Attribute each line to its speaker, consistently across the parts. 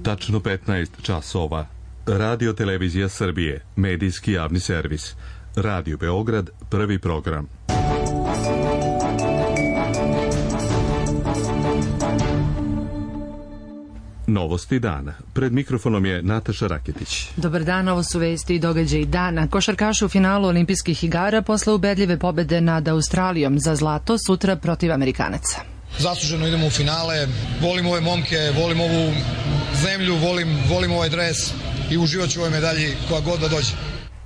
Speaker 1: tačno 15 časova. Radio Televizija Srbije, medijski javni servis. Radio Beograd, prvi program. Novosti dana. Pred mikrofonom je Nataša Raketić.
Speaker 2: Dobar dan, ovo su vesti i događaji dana. Košarkaši u finalu olimpijskih igara posle ubedljive pobede nad Australijom za zlato sutra protiv Amerikanaca.
Speaker 3: Zasluženo idemo u finale, volim ove momke, volim ovu zemlju, volim ovaj dres i uživat ću u ovoj medalji koja god da dođe.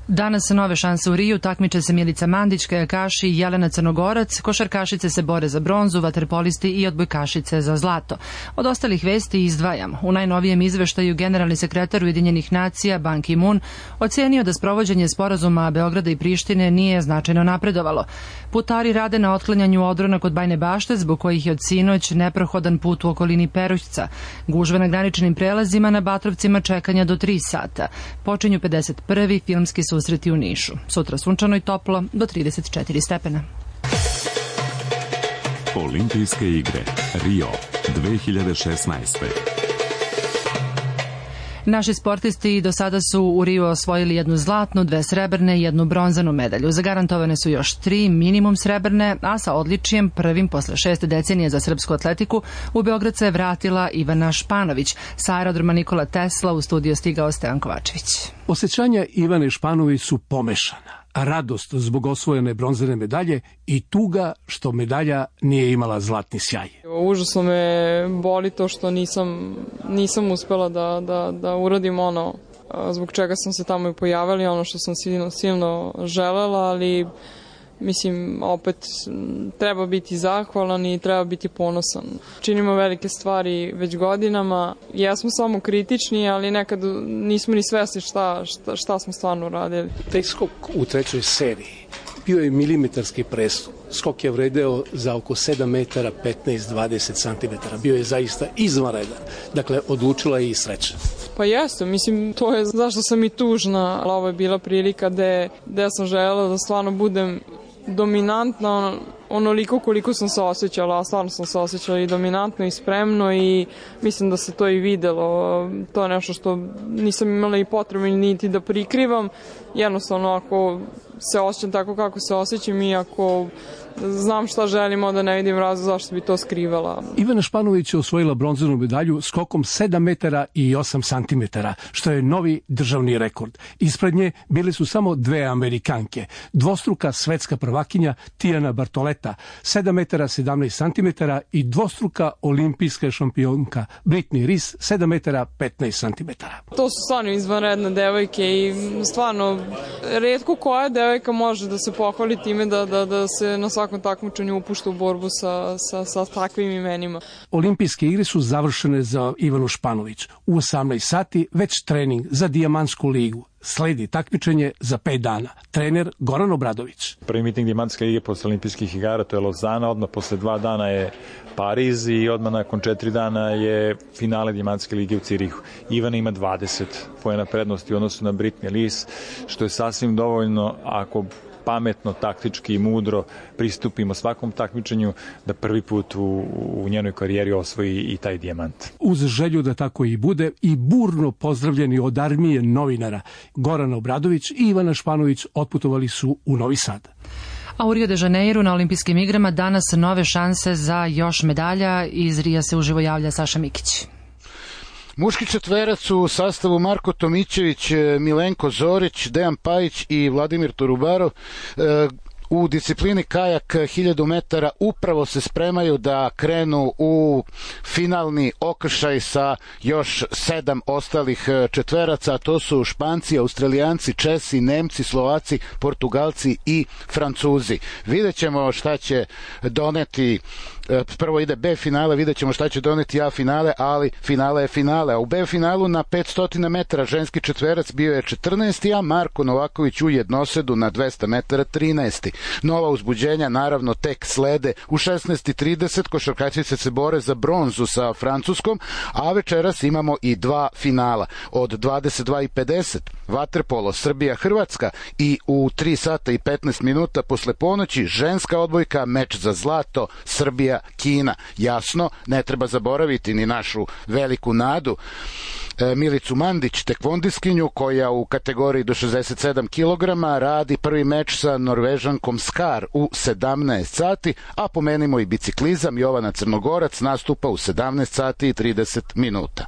Speaker 2: Danas nove šanse u Riju, takmiče se Milica Mandić, kajakaši i Jelena Crnogorac, košarkašice se bore za bronzu, vaterpolisti i odbojkašice za zlato. Od ostalih vesti izdvajam. U najnovijem izveštaju generalni sekretar Ujedinjenih nacija Ban Ki-moon ocenio da sprovođenje sporazuma Beograda i Prištine nije značajno napredovalo. Putari rade na otklanjanju odrona kod Bajne Bašte, zbog kojih je od sinoć neprohodan put u okolini Perućca. Gužve na graničnim prelazima na Batrovcima čekanja do 3 sata. Počinju 51. filmski susreti u Nišu. Sutra sunčano i toplo do 34 stepena.
Speaker 4: Olimpijske igre Rio 2016.
Speaker 2: Naši sportisti do sada su u Riju osvojili 1 zlatnu, 2 srebrne i 1 bronzanu medalju. Zagarantovane su još 3 minimum srebrne, a sa odličijem prvim posle 6 decenija za srpsku atletiku u Beograd se vratila Ivana Španović. Sa aerodroma Nikola Tesla u studio stigao Stevan Kovačević.
Speaker 5: Osjećanja Ivane Španović su pomešana. Radost zbog osvojene bronzane medalje i tuga što medalja nije imala zlatni sjaj.
Speaker 6: Užasno me boli to što nisam uspela da uradim ono zbog čega sam se tamo i pojavila, ono što sam silno želela, ali mislim, opet treba biti zahvalan i treba biti ponosan. Činimo velike stvari već godinama. Jesmo samo kritični, ali nekad nismo ni svesni šta smo stvarno radili.
Speaker 5: Taj skok u trećoj seriji bio je milimetarski prestup. Skok je vredeo za oko 7 metara 15-20 centimetara. Bio je zaista izvanredan. Dakle, odlučila je i sreća.
Speaker 6: Pa jeste, mislim, to je zašto sam i tužna, ali ovo je bila prilika gde sam želela da stvarno budem dominantna onoliko koliko sam se osjećala, a stvarno sam se osjećala i dominantno i spremno i mislim da se to i videlo. To je nešto što nisam imala i potrebu niti da prikrivam. Jednostavno, ako se osjećam tako kako se osjećam i ako znam šta želim, onda ne vidim razlog zašto bi to skrivala.
Speaker 5: Ivana Španović je osvojila bronzanu medalju skokom 7 metara i 8 santimetara, što je novi državni rekord. Ispred nje bile su samo 2 Amerikanke. Dvostruka svetska prvakinja Tijana Bartoleta, 7 metara 17 santimetara i dvostruka olimpijska šampionka Britney Rees, 7 metara 15 santimetara.
Speaker 6: To su stvarno izvanredne devojke i stvarno retko koja devojka može da se pohvali time da se na svakom takmičenju upušta u borbu sa takvim imenima.
Speaker 5: Olimpijske igre su završene za Ivanu Španović. U 18 sati već trening za Dijamantsku ligu. Sledi takmičenje za 5 dana. Trener Goran Obradović.
Speaker 7: Prvi miting Dijamantske lige posle olimpijskih igara, to je Lozana, odmah posle 2 dana je Pariz i odmah nakon 4 dana je finale Dijamantske lige u Cirihu. Ivana ima 20 poena prednosti u odnosu na Britney Rees, što je sasvim dovoljno ako pametno, taktički i mudro pristupimo svakom takmičenju da prvi put u njenoj karijeri osvoji i taj dijamant.
Speaker 5: Uz želju da tako i bude i burno pozdravljeni od armije novinara Goran Obradović i Ivana Španović otputovali su u Novi Sad.
Speaker 2: A u Rio de Janeiru na olimpijskim igrama danas nove šanse za još medalja. Iz Rija se uživo javlja Saša Mikić.
Speaker 8: Muški četverac u sastavu Marko Tomićević, Milenko Zorić, Dejan Pajić i Vladimir Torubarov u disciplini kajak 1000 metara upravo se spremaju da krenu u finalni okršaj sa još 7 ostalih četveraca. To su Španci, Australijanci, Česi, Nemci, Slovaci, Portugalci i Francuzi. Vidjet ćemo šta će doneti. Prvo ide B finale, vidjet ćemo šta će doneti A finale, ali finale je finale. A u B finalu na 500 metara ženski četverac bio je 14. a Marko Novaković u jednosedu na 200 metara 13. Nova uzbuđenja naravno tek slede. U 16:30 košarkašice se bore za bronzu sa Francuskom, a večeras imamo i 2 finala. Od 22:50 vaterpolo Srbija-Hrvatska i u 3 sata i 15 minuta posle ponoći ženska odbojka, meč za zlato Srbija-Kina. Jasno, ne treba zaboraviti ni našu veliku nadu Milicu Mandić, tekvondiskinju koja u kategoriji do 67 kg radi prvi meč sa Norvežankom Skar u 17 sati, a pomenimo i biciklizam, Jovana Crnogorac nastupa u 17 sati i 30 minuta.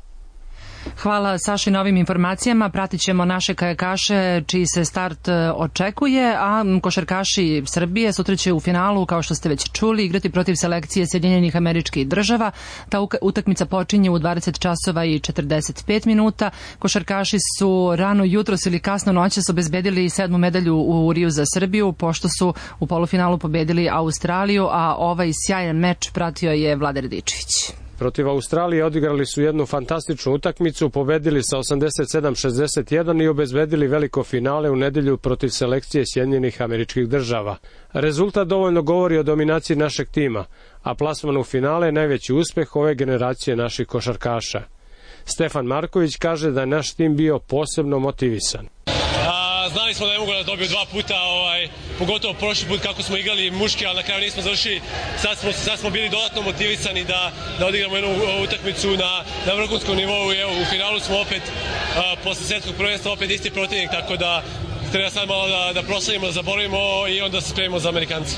Speaker 2: Hvala Saši na ovim informacijama. Pratit ćemo naše kajakaše čiji se start očekuje, a košarkaši Srbije sutra će u finalu, kao što ste već čuli, igrati protiv selekcije Sjedinjenih Američkih Država. Ta utakmica počinje u 20 časova i 45 minuta. Košarkaši su rano jutros ili kasno noćas obezbedili 7. medalju u Riju za Srbiju, pošto su u polufinalu pobedili Australiju, a ovaj sjajan meč pratio je Vlada Radičević.
Speaker 9: Protiv Australije odigrali su jednu fantastičnu utakmicu, pobedili sa 87-61 i obezbedili veliko finale u nedelju protiv selekcije Sjedinjenih Američkih Država. Rezultat dovoljno govori o dominaciji našeg tima, a plasman u finale je najveći uspeh ove generacije naših košarkaša. Stefan Marković kaže da je naš tim bio posebno motivisan.
Speaker 10: Znali smo da je mogu da dobiju 2 puta, pogotovo prošli put kako smo igrali muški, ali na kraju nismo završili. Sad smo bili dodatno motivisani da odigramo jednu utakmicu na vrhunskom nivou. Evo, u finalu smo opet, posle svetskog prvenstva, opet isti protivnik, tako da treba sad malo da proslavimo, zaboravimo i onda se spremimo za Amerikanci.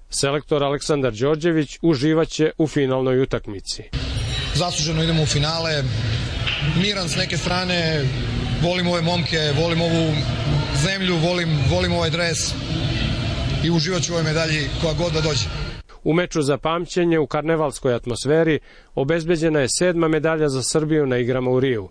Speaker 9: Selektor Aleksandar Đorđević uživaće u finalnoj utakmici.
Speaker 3: Zasluženo idemo u finale, miran s neke strane, volim ove momke, volim ovu zemlju, volim ovaj dres i uživat ću u ovoj medalji koja god da dođe.
Speaker 9: U meču za pamćenje u karnevalskoj atmosferi obezbeđena je 7. medalja za Srbiju na igrama u Riju.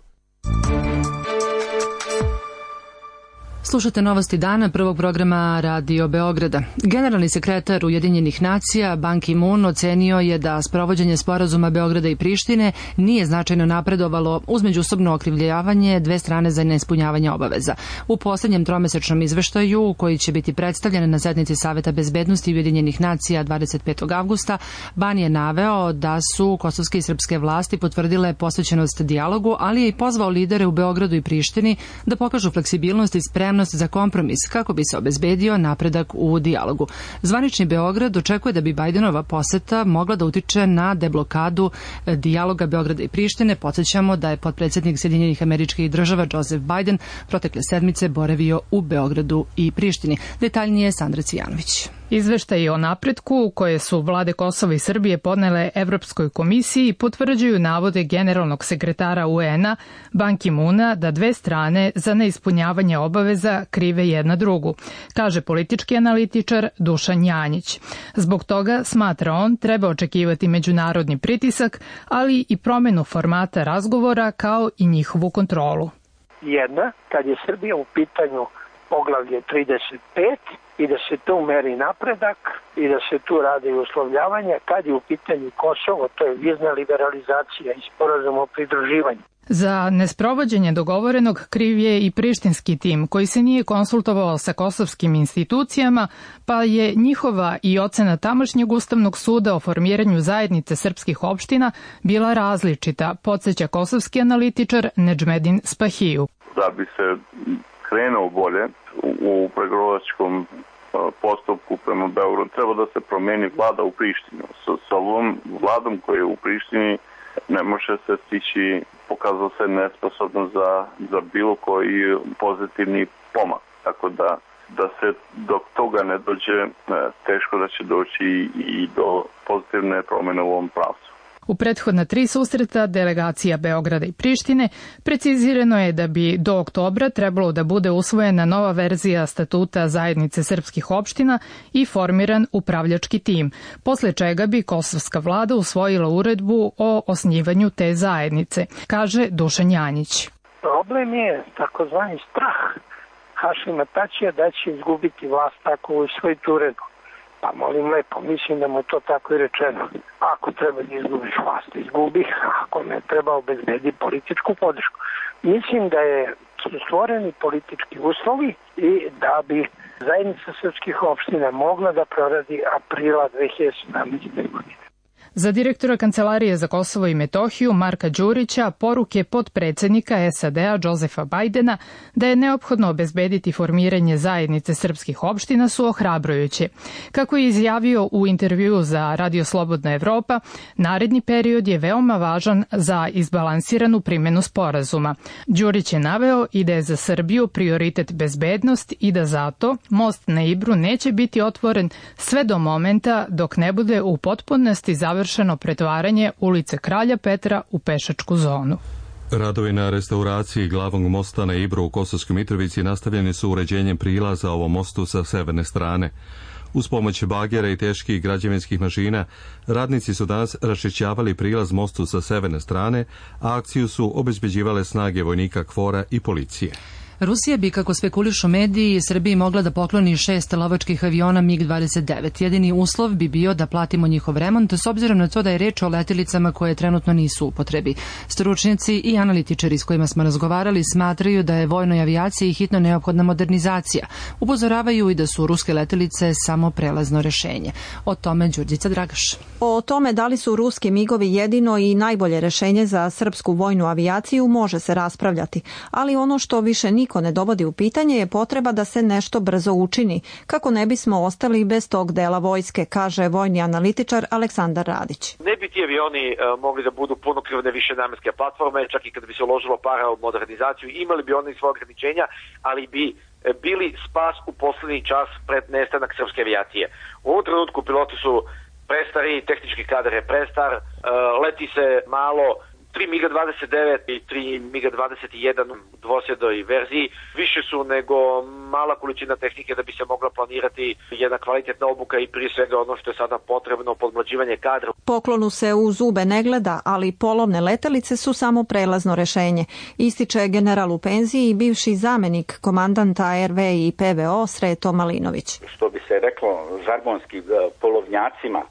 Speaker 2: Slušate novosti dana prvog programa Radio Beograda. Generalni sekretar Ujedinjenih nacija Ban Ki-moon ocenio je da sprovođenje sporazuma Beograda i Prištine nije značajno napredovalo uz međusobno okrivljavanje dve strane za neispunjavanje obaveza. U poslednjem tromesečnom izveštaju, koji će biti predstavljen na sednici Saveta bezbednosti Ujedinjenih nacija 25. avgusta, Ban je naveo da su kosovske i srpske vlasti potvrdile posvećenost dijalogu, ali je i pozvao lidere u Beogradu i Prištini da pokažu fleksibilnost i spremnost za kompromis kako bi se obezbedio napredak u dijalogu. Zvanični Beograd očekuje da bi Bajdenova poseta mogla da utiče na deblokadu dijaloga Beograda i Prištine. Podsjećamo da je potpredsednik Sjedinjenih Američkih Država Joseph Biden protekle sedmice boravio u Beogradu i Prištini. Detaljnije Sandra Cvijanović.
Speaker 11: Izveštaji o napretku koje su vlade Kosova i Srbije podnele Evropskoj komisiji potvrđuju navode generalnog sekretara UN-a Ban Ki-moona da dve strane za neispunjavanje obaveza krive jedna drugu, kaže politički analitičar Dušan Janjić. Zbog toga, smatra on, treba očekivati međunarodni pritisak, ali i promenu formata razgovora kao i njihovu kontrolu.
Speaker 12: Jedna, kad je Srbija u pitanju poglavlje 35, i da se tu meri napredak i da se tu rade i uslovljavanja. Kad je u pitanju Kosovo, to je vizna liberalizacija i sporazum o pridruživanju.
Speaker 11: Za nesprovođenje dogovorenog kriv je i prištinski tim koji se nije konsultovao sa kosovskim institucijama, pa je njihova i ocena tamošnjeg Ustavnog suda o formiranju zajednice srpskih opština bila različita, podsjeća kosovski analitičar Nedžmedin Spahiju.
Speaker 13: Da bi se krenuo bolje u pregovaračkom postupku prema Beogradu, treba da se promeni vlada u Prištini. Sa ovom vladom koja je u Prištini ne može se stići, pokazalo se nesposobno za bilo koji pozitivni pomak. Tako da se dok toga ne dođe, teško da će doći i do pozitivne promjene u ovom pravcu.
Speaker 11: U prethodna 3 susreta delegacija Beograda i Prištine precizirano je da bi do oktobra trebalo da bude usvojena nova verzija statuta zajednice srpskih opština i formiran upravljački tim, posle čega bi kosovska vlada usvojila uredbu o osnivanju te zajednice, kaže Dušan Janjić.
Speaker 12: Problem je takozvani strah Hašima Tačija da će izgubiti vlast ako usvoji tu uredbu. Pa molim lepo, mislim da mu je to tako i rečeno. Ako treba da izgubiš vlast, izgubi, ako ne treba obezbedi političku podršku. Mislim da su stvoreni politički uslovi i da bi zajednica srpskih opština mogla da proradi aprila 2017. godine.
Speaker 11: Za direktora Kancelarije za Kosovo i Metohiju Marka Đurića poruke potpredsednika SAD-a Josefa Bajdena da je neophodno obezbediti formiranje zajednice srpskih opština su ohrabrujuće. Kako je izjavio u intervjuu za Radio Slobodna Evropa, naredni period je veoma važan za izbalansiranu primjenu sporazuma. Đurić je naveo i da je za Srbiju prioritet bezbednost i da zato most na Ibru neće biti otvoren sve do momenta dok ne bude u potpunosti završeno pretvaranje ulice Kralja Petra u pešačku zonu.
Speaker 1: Radovi na restauraciji glavnog mosta na Ibru u Kosovskoj Mitrovici nastavljeni su uređenjem prilaza ovom mostu sa severne strane. Uz pomoć bagera i teških građevinskih mašina, radnici su danas raščišćavali prilaz mostu sa severne strane, a akciju su obezbeđivale snage vojnika KFOR-a i policije.
Speaker 2: Rusija bi, kako spekulišu mediji, Srbiji mogla da pokloni 6 lovačkih aviona MiG-29. Jedini uslov bi bio da platimo njihov remont, s obzirom na to da je reč o letjelicama koje trenutno nisu u upotrebi. Stručnjaci i analitičari s kojima smo razgovarali smatraju da je vojnoj avijaciji hitno neophodna modernizacija. Upozoravaju i da su ruske letjelice samo prelazno rešenje. O tome Đurđica Dragaš.
Speaker 14: O tome da li su ruski migovi jedino i najbolje rešenje za srpsku vojnu avijaciju može se raspravljati, ali ono što više niko ne dovodi u pitanje je potreba da se nešto brzo učini, kako ne bismo ostali bez tog dela vojske, kaže vojni analitičar Aleksandar Radić.
Speaker 15: Ne bi ti avioni mogli da budu punokrvne višenamenske platforme, čak i kada bi se uložilo para u modernizaciju, imali bi oni svoje ograničenja, ali bi bili spas u poslednji čas pred nestanak srpske avijacije. U ovom trenutku piloti su prestari, tehnički kadar je prestar, leti se malo, 3 MiG-29 i 3 MiG-21 u dvosjedoj verziji više su nego mala količina tehnike da bi se mogla planirati jedna kvalitetna obuka i prije svega ono što je sada potrebno, podmlađivanje kadra.
Speaker 14: Poklonu se u zube ne gleda, ali polovne letelice su samo prelazno rešenje, ističe general u penziji i bivši zamenik komandanta RV i PVO Sreto Malinović.
Speaker 16: Što bi se reklo žargonski, polovnjacima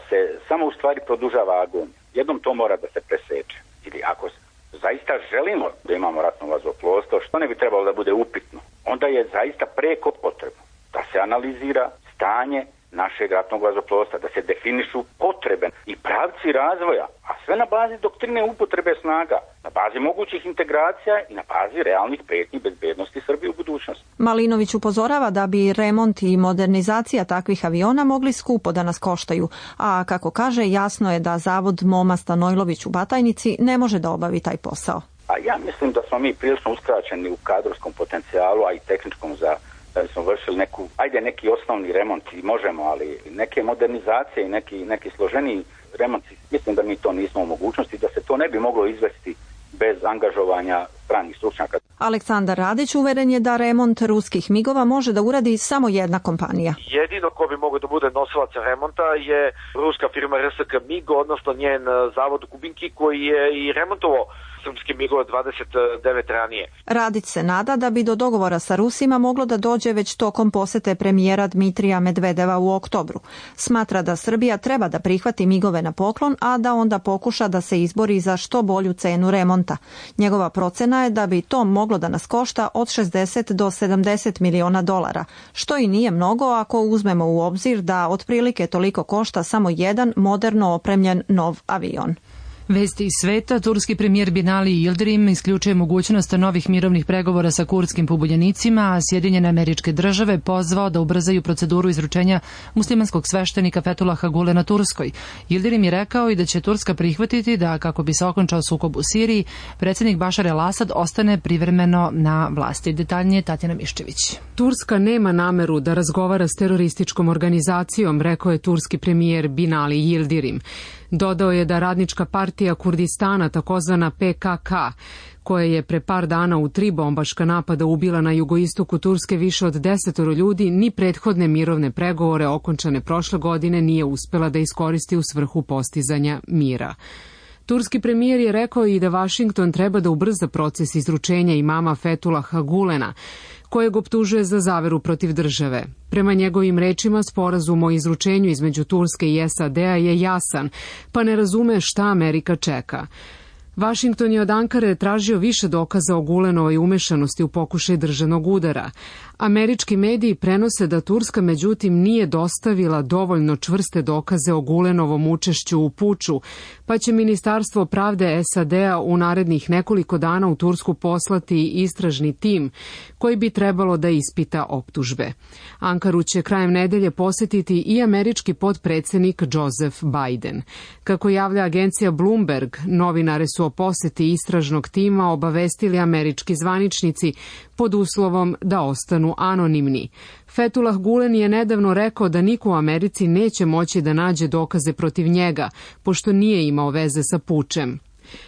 Speaker 16: se samo u stvari produžava agonija. Jednom to mora da se preseče. Ili ako zaista želimo da imamo ratno vazduhoplovstvo, što ne bi trebalo da bude upitno, onda je zaista preko potrebno da se analizira stanje našeg ratnog vazduhoplovstva, da se definišu potrebe i pravci razvoja, a sve na bazi doktrine upotrebe snaga, na bazi mogućih integracija i na bazi realnih pretnji bezbednosti Srbije u budućnosti.
Speaker 14: Malinović upozorava da bi remont i modernizacija takvih aviona mogli skupo da nas koštaju, a kako kaže, jasno je da Zavod Moma Stanojlović u Batajnici ne može da obavi taj posao.
Speaker 16: A ja mislim da smo mi prilično uskraćeni u kadrovskom potencijalu, a i tehničkom da smo vršili neki osnovni remont i možemo, ali neke modernizacije i neki složeniji remont, mislim da mi to nismo u mogućnosti, da se to ne bi moglo izvesti bez angažovanja stranih stručnjaka.
Speaker 14: Aleksandar Radić uveren je da remont ruskih migova može da uradi samo jedna kompanija.
Speaker 15: Jedino ko bi mogao da bude nosilac remonta je ruska firma RSK MIG, odnosno njen zavod u Kubinki koji je i remontovao srpski MiG-ove 29 ranije.
Speaker 14: Radić se nada da bi do dogovora sa Rusima moglo da dođe već tokom posete premijera Dmitrija Medvedeva u oktobru. Smatra da Srbija treba da prihvati MiG-ove na poklon, a da onda pokuša da se izbori za što bolju cenu remonta. Njegova procena je da bi to moglo da nas košta od 60 do 70 miliona dolara, što i nije mnogo ako uzmemo u obzir da otprilike toliko košta samo jedan moderno opremljen nov avion.
Speaker 2: Vesti iz sveta, turski premijer Binali Yildirim isključuje mogućnost novih mirovnih pregovora sa kurdskim pobunjenicima, a Sjedinjene Američke Države pozvao da ubrzaju proceduru izručenja muslimanskog sveštenika Fethullaha Gulena Turskoj. Yildirim je rekao i da će Turska prihvatiti da, kako bi se okončao sukob u Siriji, predsjednik Bašar el-Asad ostane privremeno na vlasti. Detaljnije Tatjana Miščević.
Speaker 17: Turska nema nameru da razgovara s terorističkom organizacijom, rekao je turski premijer Binali Yildirim. Dodao je da Radnička partija Kurdistana, takozvana PKK, koja je pre par dana u 3 bombaška napada ubila na jugoistoku Turske više od 10 ljudi, ni prethodne mirovne pregovore okončane prošle godine nije uspela da iskoristi u svrhu postizanja mira. Turski premijer je rekao i da Vašington treba da ubrza proces izručenja imama Fethullaha Gulena, kojeg optužuje za zaveru protiv države. Prema njegovim rečima, sporazum o izručenju između Turske i SAD-a je jasan, pa ne razume šta Amerika čeka. Vašington je od Ankare tražio više dokaza o Gulenovoj umešanosti u pokušaj državnog udara, Američki mediji prenose da Turska međutim nije dostavila dovoljno čvrste dokaze o Gulenovom učešću u puču, pa će Ministarstvo pravde SAD-a u narednih nekoliko dana u Tursku poslati istražni tim koji bi trebalo da ispita optužbe. Ankaru će krajem nedelje posetiti i američki potpredsednik Joseph Biden. Kako javlja agencija Bloomberg, novinare su o poseti istražnog tima obavestili američki zvaničnici pod uslovom da ostanu anonimni. Fethullah Gulen je nedavno rekao da niko u Americi neće moći da nađe dokaze protiv njega, pošto nije imao veze sa pučem.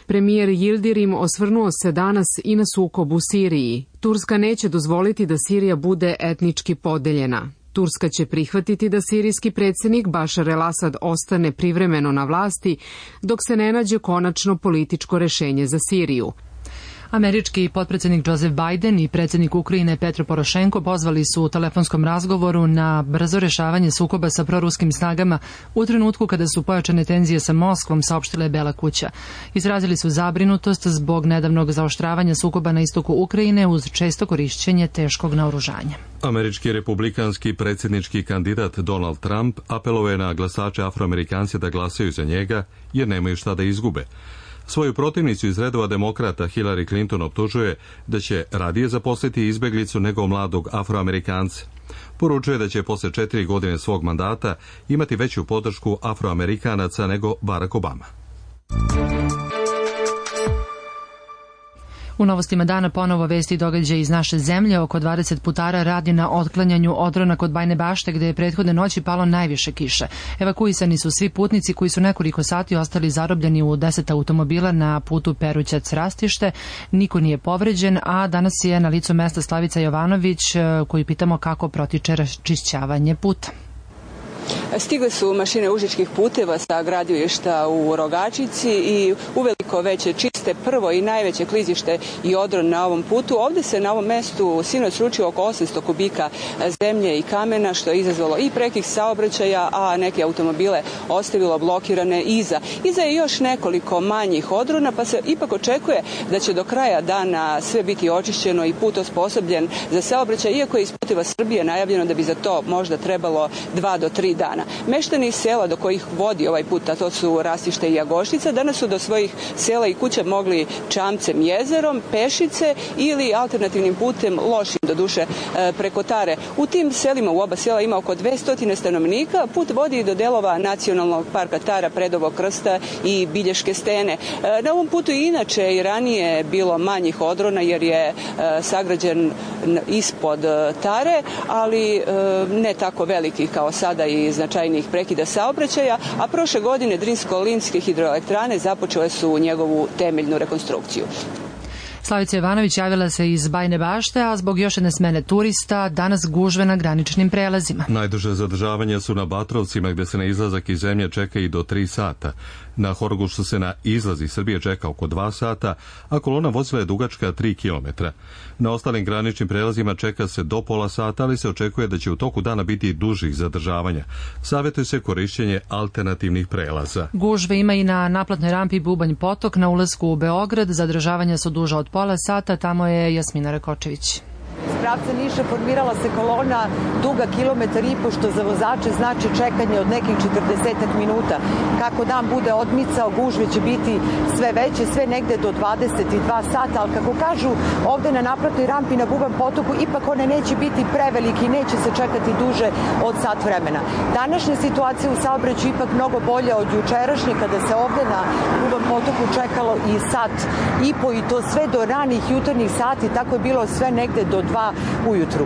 Speaker 17: Premijer Yildirim osvrnuo se danas i na sukob u Siriji. Turska neće dozvoliti da Sirija bude etnički podeljena. Turska će prihvatiti da sirijski predsjednik Bašar el-Asad ostane privremeno na vlasti dok se ne nađe konačno političko rešenje za Siriju.
Speaker 2: Američki potpredsjednik Joseph Biden i predsjednik Ukrajine Petro Porošenko pozvali su u telefonskom razgovoru na brzo rešavanje sukoba sa proruskim snagama u trenutku kada su pojačane tenzije sa Moskvom, saopštila je Bela kuća. Izrazili su zabrinutost zbog nedavnog zaoštravanja sukoba na istoku Ukrajine uz često korišćenje teškog naoružanja.
Speaker 1: Američki republikanski predsjednički kandidat Donald Trump apelovao je na glasače Afroamerikance da glasaju za njega jer nemaju šta da izgube. Svoju protivnicu iz redova demokrata Hillary Clinton optužuje da će radije zaposliti izbeglicu nego mladog Afroamerikanca. Poručuje da će posle 4 godine svog mandata imati veću podršku Afroamerikanaca nego Barack Obama.
Speaker 2: U novostima dana ponovo vesti događaja iz naše zemlje. Oko 20 putara radi na otklanjanju odrona kod Bajne Bašte, gde je prethodne noći palo najviše kiše. Evakuisani su svi putnici koji su nekoliko sati ostali zarobljeni u 10 automobila na putu Perućac-Rastište. Niko nije povređen, a danas je na licu mesta Slavica Jovanović, koju pitamo kako protiče raščišćavanje puta.
Speaker 18: Stigle su mašine Užičkih puteva sa gradilišta u Rogačici i uveliko veće čiste prvo i najveće klizište i odron na ovom putu. Ovde se na ovom mestu sinoć sručilo oko 800 kubika zemlje i kamena, što je izazvalo i prekih saobraćaja, a neke automobile ostavilo blokirane iza. Iza je još nekoliko manjih odrona, pa se ipak očekuje da će do kraja dana sve biti očišćeno i put osposobljen za saobraćaj, iako je iz Puteva Srbije najavljeno da bi za to možda trebalo 2 do 3 dana. Meštani sela do kojih vodi ovaj put, a to su Rastište i Jagoštica, danas su do svojih sela i kuća mogli čamcem, jezerom, pešice ili alternativnim putem, lošim do duše, preko Tare. U tim selima, u oba sela ima oko 200 stanovnika. Put vodi do delova Nacionalnog parka Tara, Predovog krsta i Bilješke stene. Na ovom putu i inače i ranije bilo manjih odrona jer je sagrađen ispod Tare, ali ne tako veliki kao sada i značajnijih prekida saobraćaja, a prošle godine Drinsko-Limske hidroelektrane započele su njegovu temeljnu rekonstrukciju.
Speaker 2: Slavica Jovanović javila se iz Bajne Bašte, a zbog još jedne smene turista danas gužve na graničnim prelazima.
Speaker 1: Najduže zadržavanja su na Batrovcima, gde se na izlazak iz zemlje čeka i do 3 sata. Na Horgošu se na izlaz iz Srbije čeka oko 2 sata, a kolona vozila je dugačka 3 km. Na ostalim graničnim prelazima čeka se do pola sata, ali se očekuje da će u toku dana biti dužih zadržavanja. Savjetuje se korišćenje alternativnih prelaza.
Speaker 2: Gužve ima i na naplatnoj rampi Bubanj potok na ulasku u Beograd. Zadržavanja su duža od pola sata. Tamo je Jasmina Rakočević.
Speaker 19: Iz pravca Niša formirala se kolona duga 1,5 km, što za vozače znači čekanje od nekih 40 minuta. Kako dan bude odmicao, gužve će biti sve veće, sve negde do 22 sata, ali kako kažu ovde na naplatnoj rampi na Bubanj potoku, ipak one neće biti preveliki, neće se čekati duže od sat vremena. Današnja situacija u saobraćaju ipak mnogo bolja od jučerašnje, kada se ovde na Bubanj potoku čekalo i sat i po, i to sve do ranih jutarnjih sati, tako je bilo sve negde do 2 ujutru.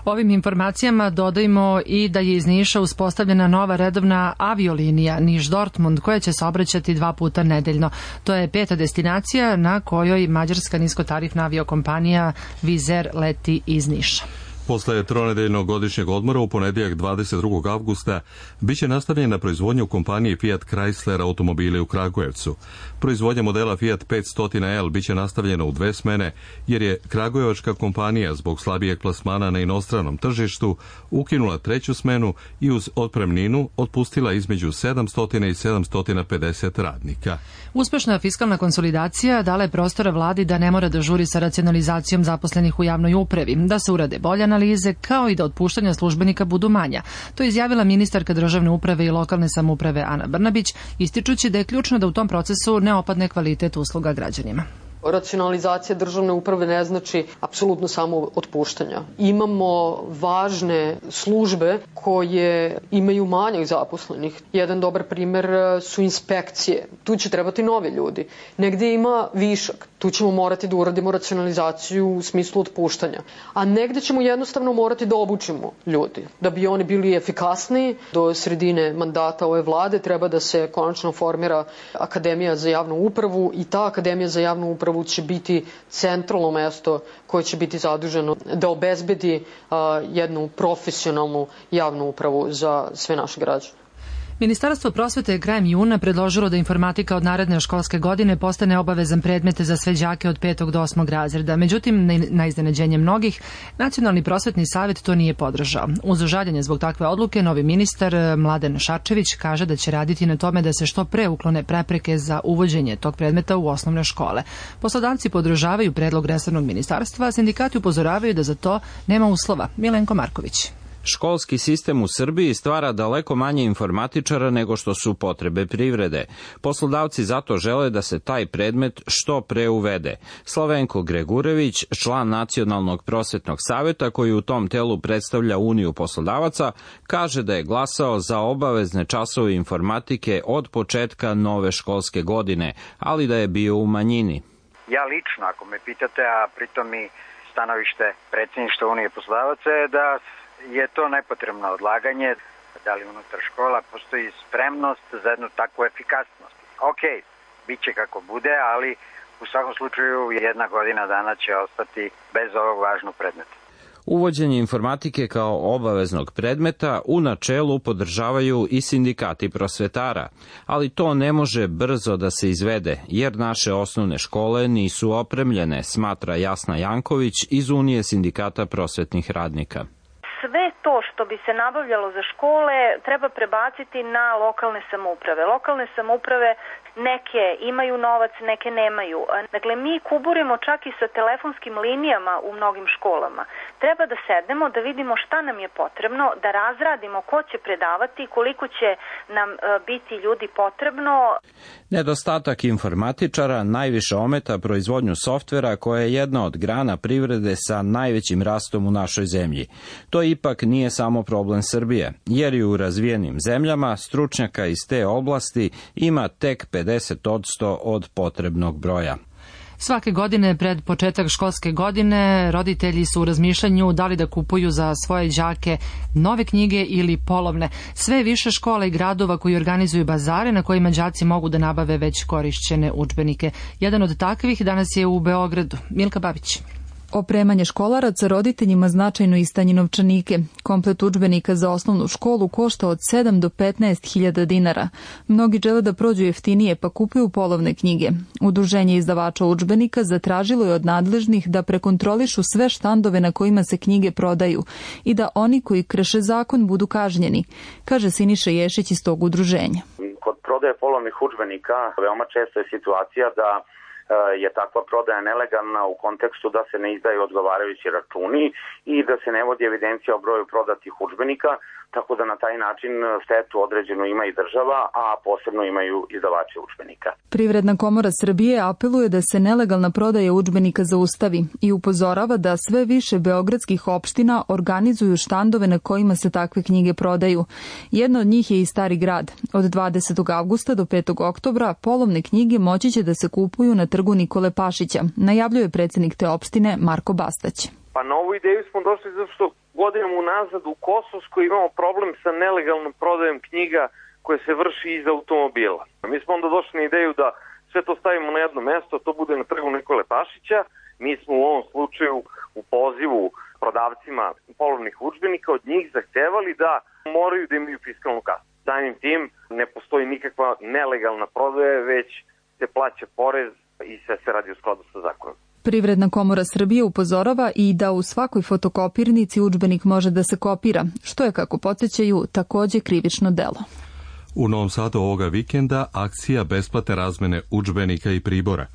Speaker 2: Ovim informacijama dodajmo i da je iz Niša uspostavljena nova redovna aviolinija Niš-Dortmund, koja će se obraćati 2 puta nedeljno. To je 5. destinacija na kojoj mađarska niskotarifna aviokompanija Vizer leti iz Niša.
Speaker 1: Posle tronedeljnog godišnjeg odmora u ponedjeljak 22. avgusta biće nastavljena proizvodnja u kompaniji Fiat Chrysler automobili u Kragujevcu. Proizvodnja modela Fiat 500L biće nastavljena u 2 smene, jer je kragujevačka kompanija zbog slabijeg plasmana na inostranom tržištu ukinula 3. smenu i uz otpremninu otpustila između 700 i 750 radnika.
Speaker 2: Uspešna fiskalna konsolidacija dala je prostora vladi da ne mora da žuri sa racionalizacijom zaposlenih u javnoj upravi, da se urade bolje analize, kao i da otpuštanja službenika budu manja. To je izjavila ministarka državne uprave i lokalne samouprave Ana Brnabić, ističući da je ključno da u tom procesu ne opadne kvalitet usluga građanima.
Speaker 20: Racionalizacija državne uprave ne znači apsolutno samo otpuštanja. Imamo važne službe koje imaju manjak zaposlenih. Jedan dobar primer su inspekcije. Tu će trebati novi ljudi. Negde ima višak. Tu ćemo morati da uradimo racionalizaciju u smislu otpuštanja. A negde ćemo jednostavno morati da obučimo ljudi. Da bi oni bili efikasniji, do sredine mandata ove vlade treba da se konačno formira Akademija za javnu upravu i ta Akademija za javnu upravu će biti centralno mesto koje će biti zaduženo da obezbedi jednu profesionalnu javnu upravu za sve naše građane.
Speaker 2: Ministarstvo prosvete je krajem juna predložilo da informatika od naredne školske godine postane obavezan predmet za sve đake od 5. do 8. razreda. Međutim, na iznenađenje mnogih, Nacionalni prosvetni savet to nije podržao. Uz žaljenje zbog takve odluke, novi ministar Mladen Šarčević kaže da će raditi na tome da se što pre uklone prepreke za uvođenje tog predmeta u osnovne škole. Poslodavci podržavaju predlog resornog ministarstva, a sindikati upozoravaju da za to nema uslova. Milenko Marković.
Speaker 21: Školski sistem u Srbiji stvara daleko manje informatičara nego što su potrebe privrede. Poslodavci zato žele da se taj predmet što pre uvede. Slavenko Gregurević, član Nacionalnog prosvetnog saveta koji u tom telu predstavlja Uniju poslodavaca, kaže da je glasao za obavezne časove informatike od početka nove školske godine, ali da je bio u manjini.
Speaker 22: Ja lično, ako me pitate, a pritom i stanovište predsjedništva Unije poslodavaca je da je to nepotrebno odlaganje, da li unutar škola postoji spremnost za jednu takvu efikasnost. Ok, bit će kako bude, ali u svakom slučaju 1 godina dana će ostati bez ovog važnog predmeta.
Speaker 21: Uvođenje informatike kao obaveznog predmeta u načelu podržavaju i sindikati prosvetara, ali to ne može brzo da se izvede, jer naše osnovne škole nisu opremljene, smatra Jasna Janković iz Unije sindikata prosvetnih radnika.
Speaker 23: Sve to što bi se nabavljalo za škole treba prebaciti na lokalne samouprave. Lokalne samouprave neke imaju novac, neke nemaju. Dakle, mi kuburimo čak i sa telefonskim linijama u mnogim školama. Treba da sednemo, da vidimo šta nam je potrebno, da razradimo ko će predavati, koliko će nam biti ljudi potrebno.
Speaker 21: Nedostatak informatičara najviše ometa proizvodnju softvera koja je jedna od grana privrede sa najvećim rastom u našoj zemlji. To ipak nije samo problem Srbije, jer i u razvijenim zemljama stručnjaka iz te oblasti ima tek 50% od potrebnog broja.
Speaker 2: Svake godine pred početak školske godine roditelji su u razmišljanju da li da kupuju za svoje đake nove knjige ili polovne. Sve više škola i gradova koji organizuju bazare na kojima đaci mogu da nabave već korišćene udžbenike. Jedan od takvih danas je u Beogradu. Milka Babić.
Speaker 24: Opremanje školaraca roditeljima značajno istanji novčanike. Komplet udžbenika za osnovnu školu košta od 7 do 15.000 dinara. Mnogi žele da prođu jeftinije pa kupuju polovne knjige. Udruženje izdavača udžbenika zatražilo je od nadležnih da prekontrolišu sve štandove na kojima se knjige prodaju i da oni koji krše zakon budu kažnjeni, kaže Siniša Ješić iz tog udruženja.
Speaker 25: Kod prodaje polovnih udžbenika veoma često je situacija da je takva prodaja nelegalna u kontekstu da se ne izdaju odgovarajući računi i da se ne vodi evidencija o broju prodatih udžbenika, tako da na taj način štetu određenu ima i država, a posebno imaju izdavači udžbenika.
Speaker 24: Privredna komora Srbije apeluje da se nelegalna prodaja udžbenika zaustavi i upozorava da sve više beogradskih opština organizuju štandove na kojima se takve knjige prodaju. Jedna od njih je i Stari grad. Od 20. avgusta do 5. oktobra polovne knjige moći će da se kupuju na trgu Nikole Pašića, najavljuje predsjednik te opštine Marko Bastać.
Speaker 26: Pa na ovu ideju smo došli zato što godinama unazad u Kosovskoj imamo problem sa nelegalnom prodajom knjiga koje se vrši iz automobila. Mi smo onda došli na ideju da sve to stavimo na jedno mesto, to bude na trgu Nikole Pašića. Mi smo u ovom slučaju u pozivu prodavcima polovnih udžbenika od njih zahtevali da moraju da imaju fiskalnu kasu. Samim tim ne postoji nikakva nelegalna prodaja, već se plaća porez i sve se radi u skladu sa zakonom.
Speaker 24: Privredna komora Srbije upozorava i da u svakoj fotokopirnici udžbenik može da se kopira, što je, kako podsjećaju, takođe krivično delo.
Speaker 1: U Novom Sadu ovoga vikenda akcija besplatne razmene udžbenika i pribora.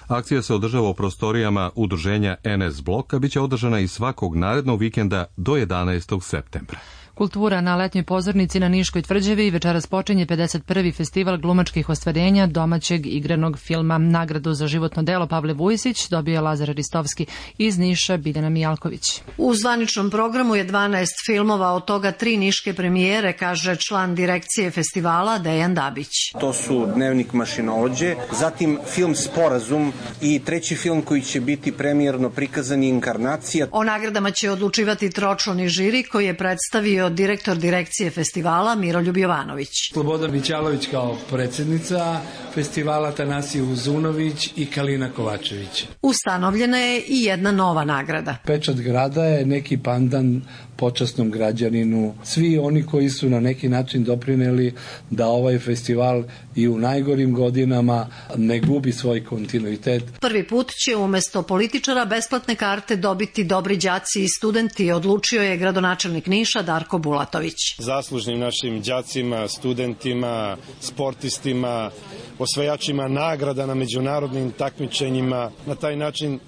Speaker 1: Akcija se održava u prostorijama udruženja NS Blok, a bit će održana i svakog narednog vikenda do 11. septembra.
Speaker 2: Kultura na letnjoj pozornici na Niškoj tvrđavi večeras počinje 51. festival glumačkih ostvarenja domaćeg igranog filma. Nagradu za životno delo Pavle Vujsić dobio je Lazar Ristovski, iz Niša Biljana Mijalković.
Speaker 4: U zvaničnom programu je 12 filmova, od toga 3 niške premijere, kaže član direkcije festivala Dejan Dabić.
Speaker 5: To su Dnevnik mašinovođe, zatim film Sporazum i treći film koji će biti premijerno prikazan je Inkarnacija.
Speaker 4: O nagradama će odlučivati tročlani žiri koji je predstavio direktor direkcije festivala Miroljub Jovanović.
Speaker 6: Slobodan Mićalović kao predsjednica festivala, Tanasije Uzunović i Kalina Kovačević.
Speaker 4: Ustanovljena je i jedna nova nagrada.
Speaker 6: Pečat grada je neki pandan počasnom građaninu. Svi oni koji su na neki način doprineli da ovaj festival i u najgorim godinama ne gubi svoj kontinuitet.
Speaker 4: Prvi put će umjesto političara besplatne karte dobiti dobri đaci i studenti, odlučio je gradonačelnik Niša Darko Bulatović.
Speaker 7: Zaslužnim našim đacima, studentima, sportistima, osvajačima nagrada na međunarodnim takmičenjima, na taj način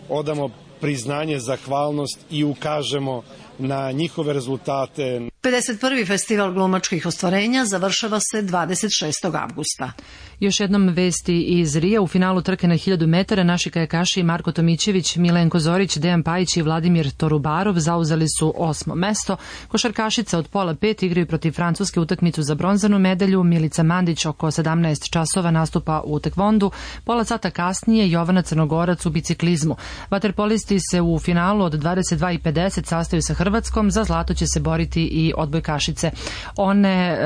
Speaker 7: odamo priznanje, zahvalnost i ukažemo na njihove rezultate.
Speaker 4: 51. festival glumačkih ostvarenja završava se 26. avgusta.
Speaker 2: Još jednom vesti iz Rija. U finalu trke na 1000 metara naši kajakaši Marko Tomićević, Milenko Zorić, Dejan Pajić i Vladimir Torubarov zauzeli su 8. mesto. Košarkašice od pola 5 igraju protiv Francuske utakmicu za bronzanu medalju. Milica Mandić oko 17 časova nastupa u tekvondu. Pola sata kasnije Jovana Crnogorac u biciklizmu. Vaterpolisti se u finalu od 22:50 sastaju sa Hrvatskom. Za zlato će se boriti i odbojkašice. One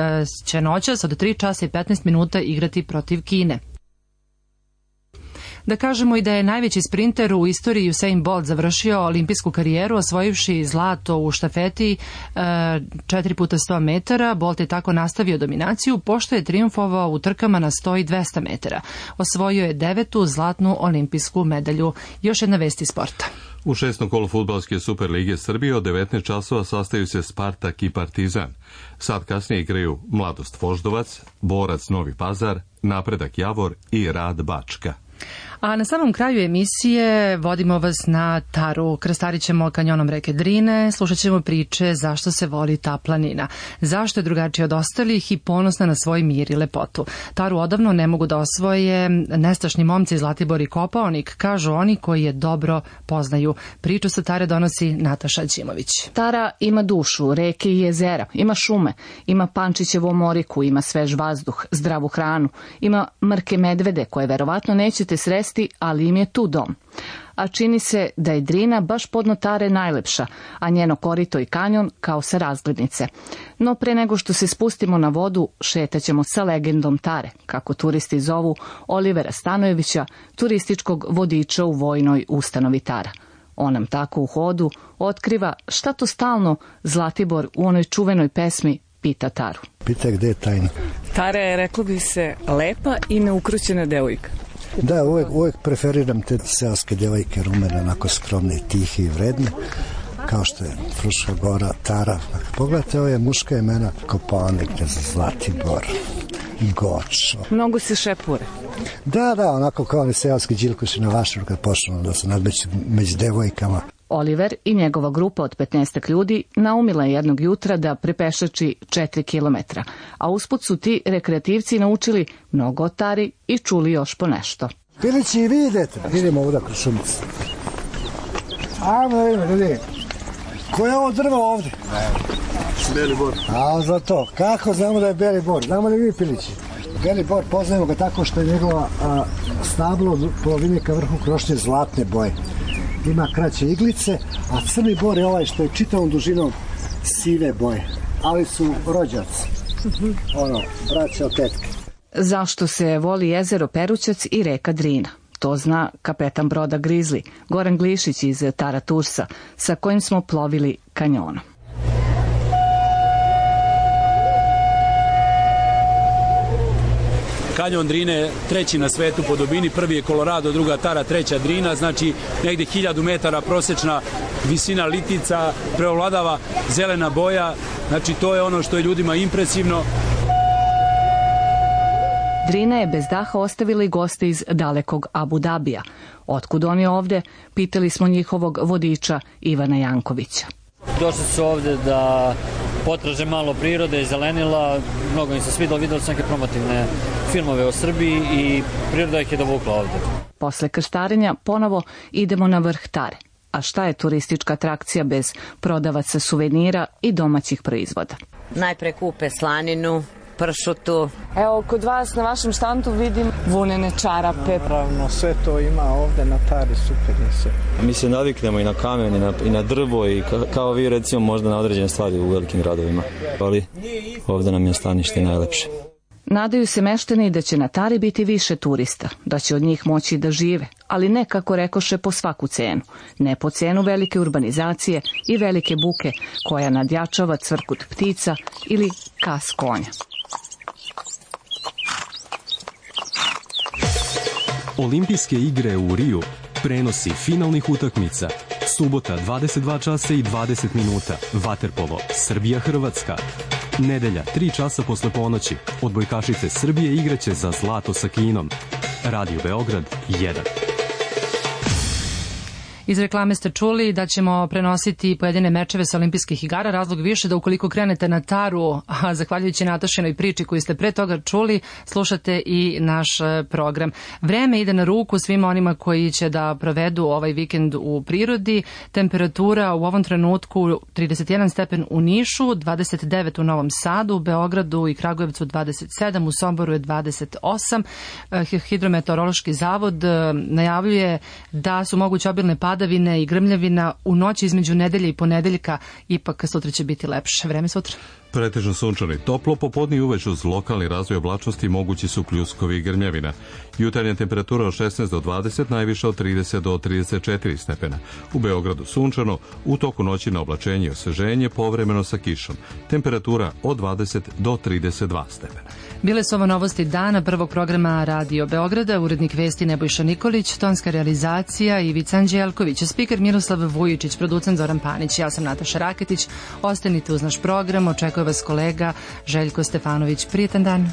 Speaker 2: će noćas od 3 časa i 15 minuta igrati protiv Kine. Da kažemo i da je najveći sprinter u istoriji Usain Bolt završio olimpijsku karijeru osvojivši zlato u štafeti 4 puta 100 metara. Bolt je tako nastavio dominaciju, pošto je trijumfovao u trkama na 100 i 200 metara. Osvojio je 9. zlatnu olimpijsku medalju. Još jedna vest iz sporta.
Speaker 1: U 6. kolu fudbalske Super lige Srbije od 19 časova sastaju se Spartak i Partizan. Sad kasnije igraju Mladost Voždovac, Borac Novi Pazar, Napredak Javor i Rad Bačka.
Speaker 2: A na samom kraju emisije vodimo vas na Taru. Krstarit ćemo kanjonom reke Drine, slušat ćemo priče zašto se voli ta planina, zašto je drugačija od ostalih i ponosna na svoj mir i lepotu. Taru odavno ne mogu da osvoje nestašni momci Zlatibor i Kopaonik, kažu oni koji je dobro poznaju. Priču sa Tare donosi Nataša Đimović.
Speaker 8: Tara ima dušu, reke i jezera, ima šume, ima Pančićevu omoriku, ima svež vazduh, zdravu hranu, ima mrke medvede koje verovatno nećete sresti, ali im je tu dom. A čini se da je Drina baš podno Tare najlepša, a njeno korito i kanjon kao sa razglednice. No pre nego što se spustimo na vodu, šetaćemo sa legendom Tare, kako turisti zovu Olivera Stanojevića, turističkog vodiča u vojnoj ustanovi Tara. On nam tako u hodu otkriva šta to stalno Zlatibor u onoj čuvenoj pesmi pita Taru.
Speaker 10: Pita gde je tajna?
Speaker 27: Tara je, reklo bi se, lepa i neukrućena devojka.
Speaker 10: Da, uvek preferiram te seoske devojke rumene, onako skromne, tihe i vredne, kao što je Fruška Gora, Tara. Pogledajte ove muška imena, Kopaonik, Zlatibor, Goč.
Speaker 27: Mnogo se šepure.
Speaker 10: Da, onako kao oni seoski džilkuši na vašem kad počnu da se nadmeću među devojkama.
Speaker 8: Oliver i njegova grupa od 15 ljudi naumila je jednog jutra da prepešači 4 kilometra, a usput su ti rekreativci naučili mnogo o Tari i čuli još po nešto.
Speaker 10: Pilići, i vi idete? Idemo ovdje kroz šumicu. Ajmo da vidimo, ljudi. Ko je ovo drvo ovdje?
Speaker 27: Beli bor.
Speaker 10: A za to, kako znamo da je beli bor? Znamo li vi Pilići? Beli bor poznajemo ga tako što je njegova stablo od polovine ka vrhu krošnje zlatne boje. Ima kraće iglice, a crni bor je ovaj što je čitavom dužinom sive boje. Ali su rođaci. Braća od tetke.
Speaker 8: Zašto se voli jezero Perućac i reka Drina? To zna kapetan broda Grizli, Goran Glišić iz Tara Tursa, sa kojim smo plovili kanjonom.
Speaker 28: Kanjon Drine je treći na svetu po dubini, prvi je Colorado, druga Tara, treća Drina, znači negde 1000 metara prosječna visina litica, preovladava zelena boja, znači to je ono što je ljudima impresivno.
Speaker 8: Drina je bez daha ostavila i goste iz dalekog Abu Dabija. Otkud oni ovde? Pitali smo njihovog vodiča Ivana Jankovića.
Speaker 3: Došli su ovde da potraže malo prirode i zelenila. Mnogo im se svidalo, videli su neke promotivne filmove o Srbiji i priroda ih je dovukla ovde.
Speaker 8: Posle krstarenja ponovo idemo na vrh Tare. A šta je turistička atrakcija bez prodavaca suvenira i domaćih proizvoda?
Speaker 9: Najpre kupe slaninu, pršutu.
Speaker 27: Evo, kod vas na vašem štandu vidim vunene čarape.
Speaker 11: Naravno, sve to ima ovde na Tari, super je sve.
Speaker 12: Mi se naviknemo i na kamen i na drvo i kao vi recimo možda na određene stvari u velikim gradovima. Ali ovde nam je stanište najlepše.
Speaker 8: Nadaju se meštani da će na Tari biti više turista, da će od njih moći da žive, ali ne kako rekoše po svaku cenu, ne po cenu velike urbanizacije i velike buke koja nadjačava cvrkut ptica ili kas konja.
Speaker 13: Olimpijske igre u Riju, prenosi finalnih utakmica, subota 22 časa i 20 minuta, vaterpolo, Srbija-Hrvatska. Nedelja, 3 časa posle ponoći, odbojkašice Srbije igraće za zlato sa Kinom. Radio Beograd 1.
Speaker 2: Iz reklame ste čuli da ćemo prenositi pojedine mečeve sa olimpijskih igara. Razlog više da ukoliko krenete na Taru, a zahvaljujući Natašinoj priči koju ste pre toga čuli, slušate i naš program. Vreme ide na ruku svima onima koji će da provedu ovaj vikend u prirodi. Temperatura u ovom trenutku 31 stepen u Nišu, 29 u Novom Sadu, u Beogradu i Kragujevcu 27, u Somboru je 28. Hidrometeorološki zavod najavljuje da su moguće obilne padavine i grmljavina u noći između nedelje i ponedeljka, ipak sutra će biti lepše. Vreme sutra.
Speaker 1: Pretežno sunčani, toplo, popodne i uveč uz lokalni razvoj oblačnosti mogući su pljuskovi i grmljavina. Jutarnja temperatura od 16 do 20, najviša od 30 do 34 stepena. U Beogradu sunčano, u toku noći na oblačenje i osveženje, povremeno sa kišom. Temperatura od 20 do 32 stepena.
Speaker 2: Bile su ovo novosti dana prvog programa Radio Beograda, urednik vesti Nebojša Nikolić, tonska realizacija Ivica Anđelković, spiker Miroslav Vujičić, producent Zoran Panić, ja sam Nataša Raketić. Ostanite uz naš program, očekuje vas kolega Željko Stefanović. Prijetan dan.